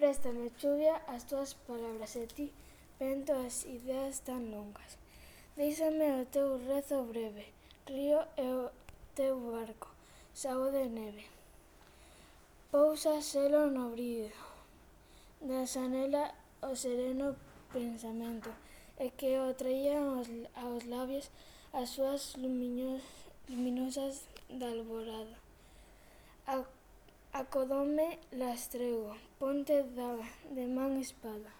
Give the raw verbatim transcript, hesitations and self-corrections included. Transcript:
Préstame, chuvia, as túas palabras e ti, vento, as ideas tan longas. Díxame o teu rezo breve, río e o teu barco, sao de neve. Pousa selo no brido da xanela o sereno pensamento, e que o traían aos, aos labios as súas lumiños, luminosas da alborada. Acodoume lastregua, ponte da, de man espada.